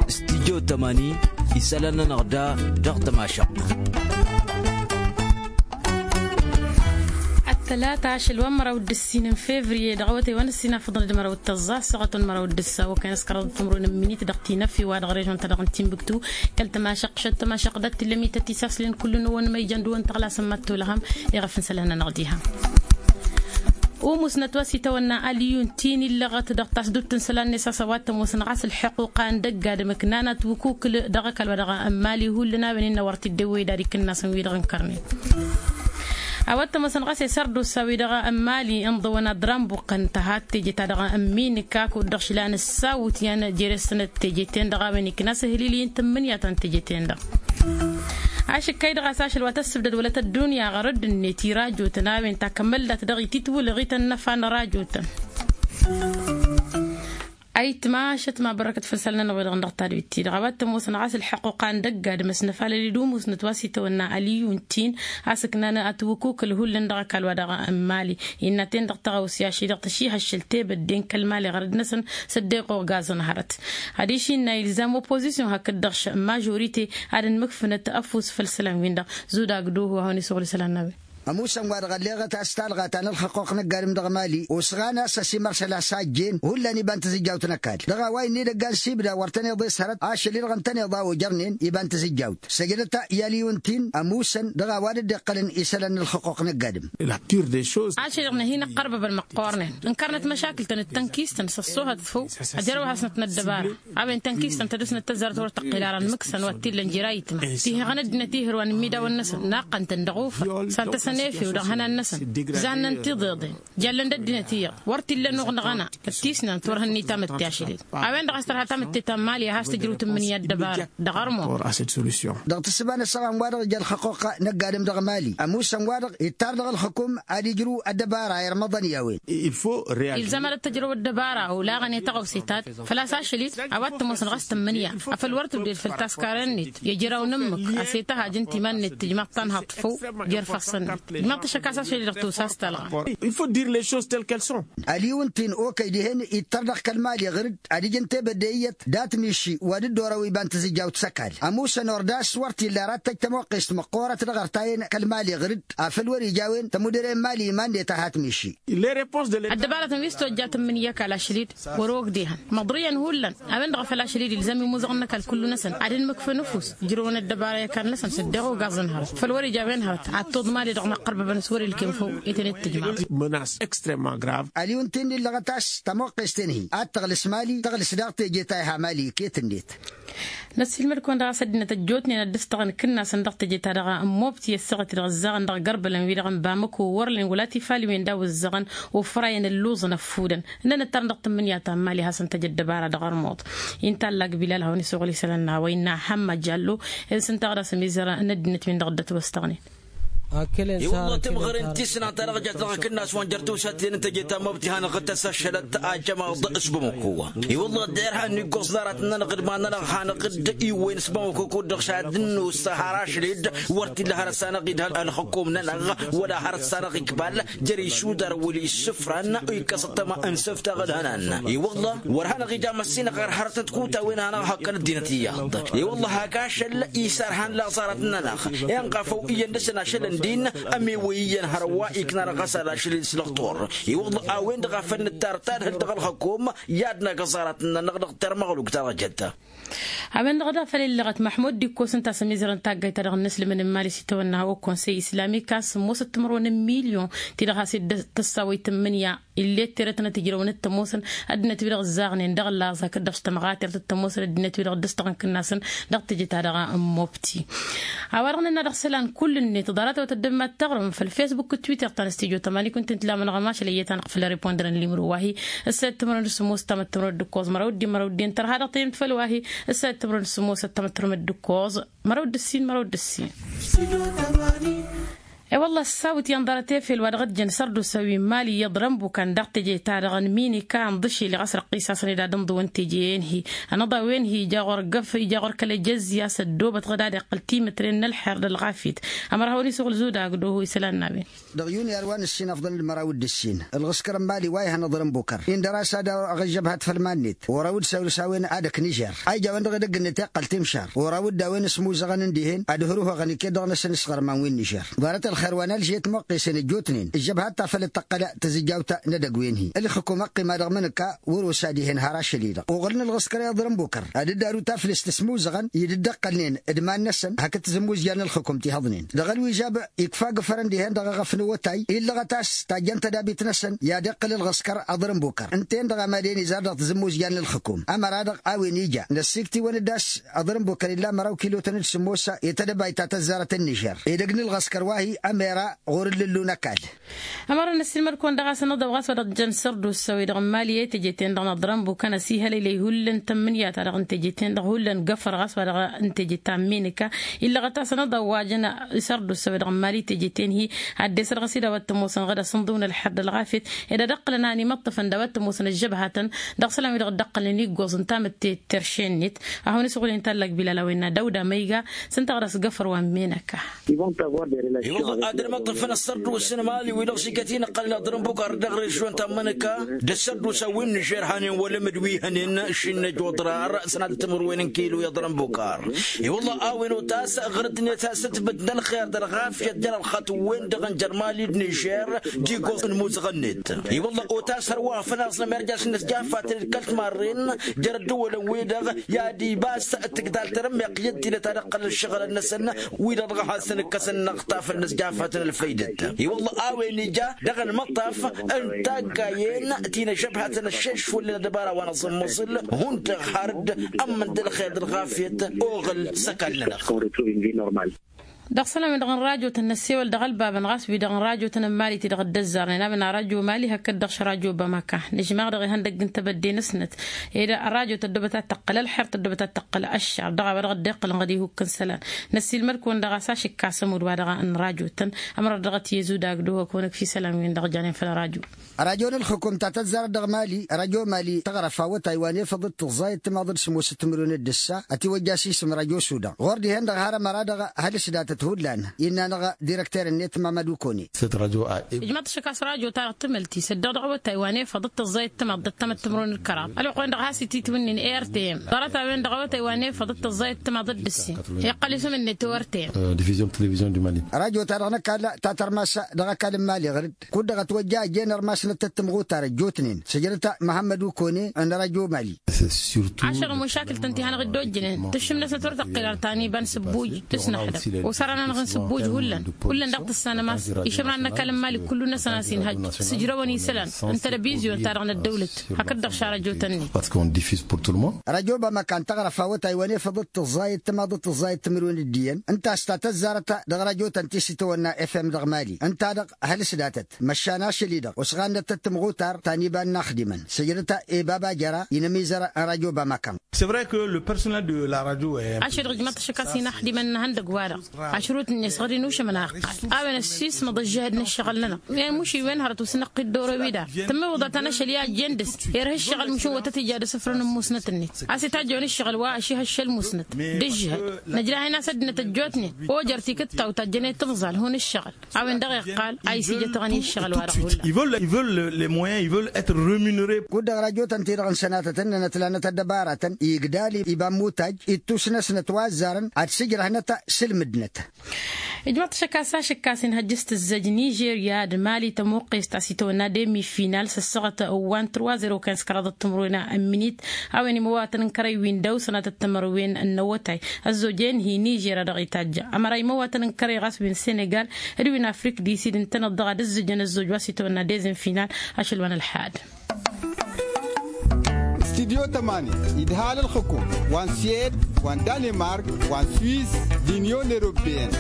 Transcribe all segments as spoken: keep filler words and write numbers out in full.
Studyo tămani isălan-nănăɣ da dăɣ-tămašăɣt. Ăttălata ašăl wa n-măraw d-ǝssin n-fevriye dăɣ-awătay wa n-ǝssin afǝḍăn d-măraw d-tăẓẓa ăssaɣăt wa n-măraw d-ǝssa okăyăn s-kăraḍăt timǝrwen n-minit dăɣ-tinăffi wa dăɣ-režon-ta-dăɣ n-tinbǝktu. Kăl-tămašăɣt šăt tămašăɣt dat-t illa mităt-i saslen kull-năwăn ma ijăn d-wăn tăɣlasăn mad-tolăhăm. Iɣăf n-isălan-nănăɣ diha. Umusnăt wa s-itawănna aliyun ti n-illăɣăt dăɣ-tasdut n-isălan-net a-s a-wa t-ămoosăn ɣas ǝlḥăquqa n-dăgg-adǝm ǝknan atwǝkukǝl dăɣ-ăkall wa dăɣ-n mali hullan a-wen innă wăr t-dd-ewwey d-ad-ikǝnnasăn wi-dăɣ n-kărnen. A-wa t-ămoosăn ɣas isărdusa wi-dăɣ n-mali ǝnḍăwăn ad-dăr-anbuqqăn tăhat teje-ta-dăɣ n-minǝka kud-dăɣ šlan ǝssawǝt i-ad-jere-săn d-teje-ten-dăɣ a-wen iknas ăhǝlil-i n-tǝmmǝnǝya ta n-teje-ten-dăɣ. Ašǝkkay dăɣ-as ašăl wa tăssǝbdăd wăla tăddunya ɣărădd-net i-rajotăn a-wen takămăldat dăɣ-ititwǝlăɣ itănnăfa n-rajotăn. Ayǝtma ašăt ma bărrăkăt făll-isălan-nănăɣ wi-dăɣ n-dăɣ-tadwit-ti-dăɣ a-wa t-ămoosăn ɣas ǝlḥăqquqa n-dăgg-adǝm ăsnăfalăl-dd umusnăt wa s-itawănna aliyun tin a-s ǝknan atwǝkukǝl hullan dăɣ-ăkall wa dăɣ-n mali. Innă-ten-dăɣ tăɣawse ašăl-i-dăɣ tăšihăššăl tebădden kăl-mali ɣărăd-năsăn s-ăddeɣ oɣazăn hărăt. Adiš innă ilzam oppozisyon hakd-dăɣ mažorite ad-ănmǝkfǝnăt ăfuss făll-isălan-win-dăɣ. Zudag duhu a hawăn-isuɣǝl isălan n-a-wen. Ămuusăn wa-dăɣ ălleɣăt a-s talɣa ta n-ălxăqquq n-ăgg-adǝm dăɣ-mali osɣan a-s ăsimărsăl a-s a ăjjeen hullan iba n-tizǝjjawt n-ăkall dăɣ-a-wa innă idăggan s-ibda wăr tăn-iḍes hărăt ašăl-i-dăɣ ǝntăneḍ a ojărnen iba n-tizǝjjawt săjdăt i-aliyun-t-in ămuusăn dăɣ-a-wa dd-iqqălăn isălan n-ălxăqquq n-ăgg-adǝm. Ašăl-i-dăɣ n-ad-hin-ăqqărbăbăn măqqoornen ǝnkărnăt măšakǝl-tăn d-tănkist-tăn s-ăṣṣoohăt făw. Ăjrăw-hasnăt n-ăddăbara a-wen tănkist-tăn tădǝsnăt tăzzarăt wăr tăqqǝl ara n-imǝksăn wa t-illăn jer-ayǝtma. Tihăɣăn ăddinăt ihǝrwan n-imidawăn-năsăn naqqăn-tăn dăɣ-ufăr s-ad-tăsăn efew dăɣ-ihănan-năsăn. Zannăn tiḍeḍen jallăn d-ăddinăt iyyăḍ wăr t-illa ănuɣ dăɣ-ăna. Ăttisnăn turhăn-ni tamǝtte ašăl-i-dăɣ a-wen-dăɣ a-s tărha tamǝtte ta n-mali a has-tǝjrǝw tǝmmǝnǝya ăddăbara dăɣ-ărmuḍ. Dăɣ-tǝssǝba n-ăssaɣan-wa-dăɣ ija ălxăqquqa n-ăgg-adǝm dăɣ-mali ămuusăn-wa-dăɣ ittar dăɣ-ălxǝkum ad-ijrǝw ăddăbara irmăḍăn i-a-wen. Ilzam ad-dd-tǝjrăw ăddăbara olaɣăn i-taɣăwse ta-dd făl-a-s ašăl-i-dăɣ a-wa t-ămoosăn ɣas tǝmmǝnǝya afăl wăr tǝdded făll-taskaren-net i-ejăraw n-ǝmmǝk a-s etaha ajăn timan-net tǝjmaḍ tanhaḍt făw. Jer-ifassăn-net ijmaḍ-t ašăk a-s ašăl-i-dăɣ tosa a-s talɣa. Aliyun-t-in okăy dihen ittăr dăɣ-kăl-mali ɣǝr-dd ad-ǝjǝn tebădde iyyăt dat-miši wa dd-orăw iba n-tizǝjjawt s-ăkall ămuusăn ordas wăr t-illa ara t-tăj tămoqqest măqqoorăt dăɣ-ărtayăn kăl-mali ɣǝr-dd afăl wăr-ija a-wen tămudăre n-mali iman-net a hat-miši. Ăddăbaratăn wi s-tojja tǝmmǝnǝya ăkall ašăl-i-dd wăr-ogdehăn măḍrǝyăn hullan. A-wen-dăɣ a făl ašăl-i-dd ilzam imuzăɣăn n-ăkall kullu-năsăn ad-ǝnmǝkfăn ăfuss ǝjrăwăn ăddăbara i-ăkall-năsăn s-ăddeɣ ogaẓăn hărăt făl wăr-ija a-wen hărăt ad-toḍ mali-dăɣ n-aqqărbăbăn s-wăr-ilkem făw. I-tăn-dd-tǝjmaḍ. Aliyun-t-in illăɣăt a-s tămoqqest-en-hi ad-tăɣlǝs mali tăɣlǝs daɣ teje ta iha mali iket-net. Năssiilmăd-kăwăn dăɣ-a-s ăddinăt ăjjootnen ad-dd-ǝstăɣăn ikǝnnasăn dăɣ-teje-ta-dăɣ n-mobti ăssaɣăt-i-dăɣ ǝzzaɣăn dăɣ-igărbălăn-wi-dăɣ n-bamăko wăr-len wăla tifaliwen d-awǝzzaɣăn. Ufrayăn ǝlluẓăn ăffudăn ǝnnăn ǝttarăn dăɣ-tǝmmǝnǝya ta n-mali ad-hasăn-tăj ăddăbara dăɣ-ărmuḍ. Inta ăllag bilal a hawăn-isuɣǝl isălan n-a-wa innă ăhămma jallo. Ǝnsǝntaɣ d-asǝmizăr n-ăddinăt-win-dăɣ dd-ătwăstăɣnen. I-wălla timɣăren tisnant ta dăɣ-jat dăɣ-akǝnnas wa n-jer-tiwsaten n-teje ta n-mobti hanăɣ-tăssašălăt ajămaḍ s-bamăko. I-wălla dd-irha ănnigoẓ n-arat-nănăɣ d-iman-nănăɣ hanăɣ-dd-iwwăyăn s-bamăko kud-dăɣ šad ǝnnusa har ašăl-dd. Wăr t-illa hărăt s-anăɣ-idhăl ălxǝkum-nănăɣ wăla hărăt s-anăɣ-ikbal jer-isudar wăla issǝfran. Ikkăs ăṭṭăma n-isǝftaɣ ǝlhănan. I-wălla wăr hanăɣ-ija măssinăɣ ɣăr hărăt n-tikuta wi n-hanăɣ-hăqqăn ăddinăt iyyăḍ. I-wălla hak ašăl isărhan laẓarăt-nănăɣ inɣa făw iyyăn dăr-săn ašăl n-din. Ămiwăy iyyăn hărwa iknan ɣas ad-ašăl-dd s-lăxtur. I-wălla a-wen-dăɣ a făl nǝttar tadhǝlt dăɣ-ălxǝkum i-ad-năg ăẓarăt-nănăɣ dăɣ-termăɣlukt ta dăɣ-jădda. A-wen-dăɣ daɣ făl illăɣăt măḥmud d-ikkos ǝnta a-s ămizărăn taggayt-ta-dăɣ n-inǝslǝmăn n-imali s-itawănna okonsey islamik a-s ămoosăt timărwen n-milyon ti-dăɣ has-dd-tăssa wa itǝmmǝnǝya. Illet terăt n-ad-t-ǝjrăwăn d-tămoosăn ăddinăt-wi-dăɣ ǝzzaɣnen dăɣ-laẓ hakd-dăɣ s-tămɣatert d-tămoosăn ăddinăt-wi-dăɣ dd-ǝstăɣăn kǝnnasăn. Dăɣ-teje-ta-dăɣ n-mobti a-wa dăɣ-nănna dăɣ-isălan kull-net ḍarăt a-wa tăddămmat taɣrǝmăm făll-fesbuk d-twitter ta n-stujo tămani kunta n-tǝlamănăɣ ămašăl iyyăt-anăɣ făll-ripondărăn limro wa-hi. Ǝssayăt timărwen d-sămoos tamăttămărwen d-ǝkkoẓ măraw d-i măraw d-i n-tărha dăɣ-tayǝmt făll-wa-hi. Ǝssayăt timărwen d-sămoos tamăttămărwen d-ǝkkoẓ măraw d-ǝssin măraw d-ǝssin. E-wălla ăssawǝt i-ănḍarăt efel wa dăɣ-ăjjăn sărdusa wi n-mali iyyăḍ rănbukan dăɣ-teje-ta-dăɣ n-minika ǝnḍǝšel i-ɣas răqqisasăn ed ad-ǝnḍǝwăn teje-en-hi. Ănăḍawen-hi ija ɣur-găf ija ɣur-kăl-ejăzzi a-s ăddoobăt ɣǝd ad-iqqăl timǝtren n-ălxer d-ălɣafyăt. Ămăra hawăn-isuɣǝl zudagdo hu isălan n-a-wen. Dăɣ-yuniyar wa n-ǝssin afḍăn d-măraw d-ǝssin ǝlɣǝskăr n-mali wa ihăn aḍrănbukăr indăr-as ad-aɣ ăžžăbhăt făll-iman-net. Oraw-dd săwrǝs a-wen ad-ăknižer a ija a-wen-dăɣ edăgg-net iqqăl timšar. Oraw-dd a-wen ǝsmuzăɣăn n-dihen ad-hărǝhăɣăn iket dăɣ-năsăn s-iɣărman wi n-nižer. Ḍarăt ălxer wa n-alžiyăt muqqesen ăjjootnen ǝžžăbhăt ta făll-tăqqăl tǝzǝjjawt n-edăgg-wen-hi. Ǝlxǝkum ăqqima dăɣ-imǝnǝka wăr-osa dihen har ašăl-i-dăɣ oɣǝlăn ǝlɣǝskăr iḍrǝnbukăr ad-dd-aru taflǝst ǝsmuzăɣăn i-dd-ǝqqălnen d-iman-năsăn hakd tǝzǝmmuzja n-ǝlxǝkum ti hăḍnen. Dăɣ-ălwižab ikfa agǝfăr n-dihen-dăɣ aɣăf n-awătay illăɣăt a-s tajjăn tădabit-năsăn i-ad-iqqǝl ǝlɣǝskăr aḍrǝnbukăr ǝnta-en-dăɣ a madăn izar dăɣ-tǝzǝmmuzja n-ǝlxǝkum. Ămăra-dăɣ a-wen ija năssiktǝwăn-dd a-s aḍrǝnbukăr illa măraw kilotăn d-sǝmmos i-tadăbayt ta tăzzarăt n-nižer edăgg n-ǝlɣǝskăr wa-hi ămera ɣur-ǝllǝllu n-ăkall. Ămărăn ăssiilmăd-kăwăn dăɣ-a-s ănăḍăw ɣas wa dăɣ-jăn sărdusa-wi-dăɣ n-imali i-teje-ten-dăɣ n-aḍrănbukăn ăsihălăylăy hullan tămmǝnǝya-ta-dăɣ n-teje-ten-dăɣ hullan găfăr ɣas wa dăɣ-teje ta n-minǝka. Illăɣăt a-s ănăḍăw wa jăn sărdusa-wi-dăɣ n-imali i-teje-ten-hi ad-dd-esăr ɣas-i d-a-wa t-ămoosăn ɣǝd asǝnḍǝw n-ălxer d-ălɣafyăt ed ad-ǝqqǝlăn a ănimăṭṭăfăn d-a-wa t-ămoosăn ăžžăbhatăn dăɣ-isălan-wi-dăɣ dd-ǝqqălnen iggoẓ ǝnta amǝtte terše-net. A hawăn-isɣulin tallak bilal a-wen n-ad-awda măyga s-ǝnta ɣur-s găfăr wa n-menăka. I-wălla ad-ămăṭṭăfăn ăssărdusa n-imali-wi-dăɣ s-iket-in-ǝqqălăn aḍrǝnbukăr dăɣ-režion ta n-imǝnǝka d-ăssărdusa wi n-nižer hanen wălămǝd wi hănen šinnej oḍrar sănatăt timǝrwen n-kilo i-aḍrănbukar. I-wălla a-wen otas ɣur-ǝddinăt s-ǝtbǝt n-ălxer d-ălɣafyăt jer-ălxatǝwwen-dăɣ n-jer-mali d-nižer d-iggoẓ n-imuzăɣăn-net. I-wălla otas hărwa făl aẓnăm irjas n-inǝsjafatăn d-kăl-timarren jer-ăddăwălăn-wi-dăɣ i-ad-ibas tǝgdal tarămmeɣt i-ăddinăt ad-ǝqqălăn ǝššăɣǝlăn-năsăn wi-dăɣ dăɣ-hasăn-ǝkkăsăn n-aɣtafăn n-ăsjafatăn ălfăydăt. I-wălla a-wen ija dăɣ-ălmăṭṭaf n-taggayen ti n-ăžžăbhătăn ăššeš făll-ăddăbara wa n-aẓǝmmăẓǝl hundăɣ har-dd ămmăn d-ălxer d-ălɣafyăt oɣǝl s-ăkall-nănăɣ. Dăɣ-isălan-wi-dăɣ n-rajotăn năssewăl dăɣ-ălbabăn ɣas wi-dăɣ n-rajotăn n-mali ti-dăɣ dd-ăzzarnen a-wen a rajo mali hakd-dăɣ š-rajo bamăka. Nǝžmaɣ dăɣ-ihăndăgg n-tebădde-năsnăt ed rajo tăddobăt ad-tăqqăl ălxer tăddobăt ad-tăqqăl ăššar dăɣ-a-wa dăɣ-dd-iqqălăn ɣǝd ihukk n-isălan. Năssiilmăd-kăwăn dăɣ-a-s ašǝkka s-ămudd wa dăɣ-n rajotăn. Ămărăr dăɣ-t i-ăzudagg d-ohăk wa n-ǝkf isălan-wi-dăɣ janen făll-rajo. Rajo n-ălxǝkum ta tăzzarăt dăɣ-mali rajo mali tăɣrăf awătay wa n-efăḍ d-tǝẓẓayăt timaḍ d-sǝmmosăt timǝrwen d-ǝssa ătiwăjja s-isǝm rajo sudan ɣur-dihen-dăɣ har ămăra-dăɣ hăl-s datăt hullan innă-năɣ direkter-net mamăd ukone. Ǝjmăḍ-t ašăk a-s rajo-ta-dăɣ tǝmăl-t isăddăɣ dăɣ-awătay wa n-efăḍ d-tǝẓẓayăt timaḍ d-ăttămăt timǝrwen d-kăraḍ ălwăqq-wen-dăɣ has-ititwǝnnin a r t m ḍarăt-a-wen-dăɣ awătay wa n-efăḍ d-tǝẓẓayăt timaḍ d-ǝssin iqqăl isǝm-net o r t m. Divizion d-televizion du mali. Rajo-ta-dăɣ n-ăkall ta tărmas dăɣ-ăkall n-mali ɣǝr-dd kud-dăɣ ătwăjja ăjjeen ărmasnăt tăt-tǝmɣutar ăjjootnen săjdăt măhămmăd ukone n-rajo mali. Ašăl n-mušakǝl-tăn ti hanăɣ-dd-ojjǝnen tǝššǝmnăsnăt wăr tăqqel ar tani iba n-sǝbbuj. Tǝsnăxdăm osăran-anăɣ n-sǝbbuj hullan hullan daɣ tǝssanăm a-s išǝmran n-ăkall n-mali kullu-năsăn a-s inhăjj sǝjrăwăn isălan n-telăbizyun-ta-dăɣ n-ăddăwlăt hakd-dăɣ šarăjotăn-net. Rajo bamăkan tăɣrăf awătay wa n-efăḍăt tǝẓẓayăt timaḍăt tǝẓẓayăt timǝrwen d-iyyăn ǝnta a-s ta tăzzarăt dăɣ-rajotăn ti s-itawănna fm dăɣ-mali ǝnta-dăɣ hăl-s datăt măšan ašăl-i-dăɣ osɣannăt tăt-tǝmɣutar ta n-iba n-inaxdimăn săjdăt i-baba jăra inămizăr n-rajo bamăkan. Ašăl-i-dăɣ ǝjmăḍ-t ašăk a-s inaxdimăn n-ihăndăgg-wa-dăɣ ašrut-net ɣur-innušămăn a iqqal a-wen ăssiismăḍ ăžžăhăd n-ǝššăɣǝl-nănăɣ i-muš iwen hărăt usǝnăqqi dd-oro-wi-dăɣ tǝmmǝwǝḍăt anăšăl i-ajjen dăɣ-s irha ǝššăɣǝl mušǝn wăr tăt-ija d-asǝfrăn n-musnăt-net a-s itajjăwăn ǝššăɣǝl wa ašihăššăl musnăt d-ǝžžǝhăd. Năjrah-in a-s ăddinăt ăjjootnen ojăr tikǝttawt ta ăjjănen tǝnẓal hun-ǝššăɣǝl. A-wen-dăɣ iqqal a isijăt ăɣăni ǝššăɣǝl-wa-dăɣ hullan. Kud-dăɣ rajotăn-ti-dăɣ n-sănatăt ǝnnănăt lanăt ăddăbaratăn igdal iba n-mutaj ittusnăsnăt wa ăzzarăn ad-sǝjrăhnăt s-ǝlmǝdnăt. Ijmăḍ-t ašăk a-s ašǝkkas inhăjj s-tǝzzăj nižerya d-mali tămuqqest a-s itawănna demi final s-ăssaɣăt wa n-trwa zero kinz kăraḍăt timǝrwen n-minit. A-wen imăwatăn n-kărăy wi n-dăw-sănatăt timărwen n-awătay ăzzojen-hi nižerya dăɣ-itajj ămăra imăwatăn n-kărăy ɣas wi n-senegal d-wi n-afrik disid ǝntăneḍ-dăɣ ad-ǝzzǝjăn ăzzoj wa s-itawănna dezen final. Ašăl wa n-ălḥad. Studyo tămani idhal ǝlxǝkum wa n-suwed wa n-danemark wa n-suwis d-inyon eropeyăn.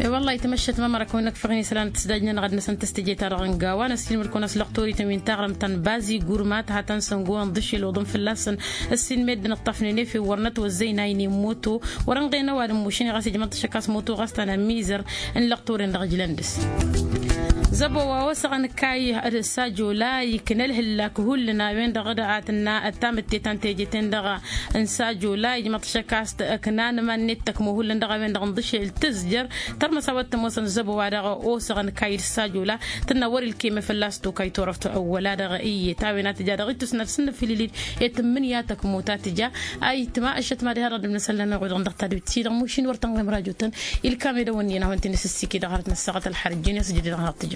E-wălla-hi tămăššăt ma măra kăwăn-năkfăɣ-in isălan tǝsdajnăn ɣad-năsăn tăstăje-ta-dăɣ n-gawa n-ăssiilmăd-kăwăn a-s lăqtorităn wi n-taɣrǝmt ta n-bazi gurma tǝhatăn-săn gowen ḍǝšel oḍăn fălla-săn. Ăssiilmed d-inǝṭṭafnen efew wăr nătwăzzăy n-aynen moto wăr-ănɣen ăwadǝm mušǝn i-ɣas ijmăḍ-t ašăk a-s moto ɣas ta n-amizăr n-lăqtoren dăɣ-ijlăn dăɣ-s. Zăbo wa osăɣăn kayy d-sajola ikna ălhǝllak hullan a-wen-dăɣ d-a tǝnna ăttamǝtte ta n-teje-ten-dăɣ n-sajola ijmăḍ-t ašăk a-s t-ăknan iman-net tăkmo hullan dăɣ-a-wen-dăɣ n-dăšel tǝzjăr. Tărmăs a-wa t-ămoosăn zăbo-wa-dăɣ osăɣăn kayy d-sajola tǝnna wăr-ilkeme fălla-s tokay turăft ăwwăla-dăɣ iyyăt a-wen a tǝja dăɣ-ittus n-ad-sǝnnǝfǝlǝlid i-tǝmmǝnǝya tăkmo ta tǝja. Ayǝtma ăššăt mad-iha dăɣ-dd-ǝmnăsăllan iɣu-dăɣ dăɣ-tadǝwt-i-dăɣ mušin wăr tăn-ɣem rajo-tăn. Ilkam edăwănni-en a hawăn-t-in-asǝssike dăɣ-hărăt n-ăssaɣăt ălxărăt jăn i-asǝjǝd dăɣ-năɣ tǝjăm.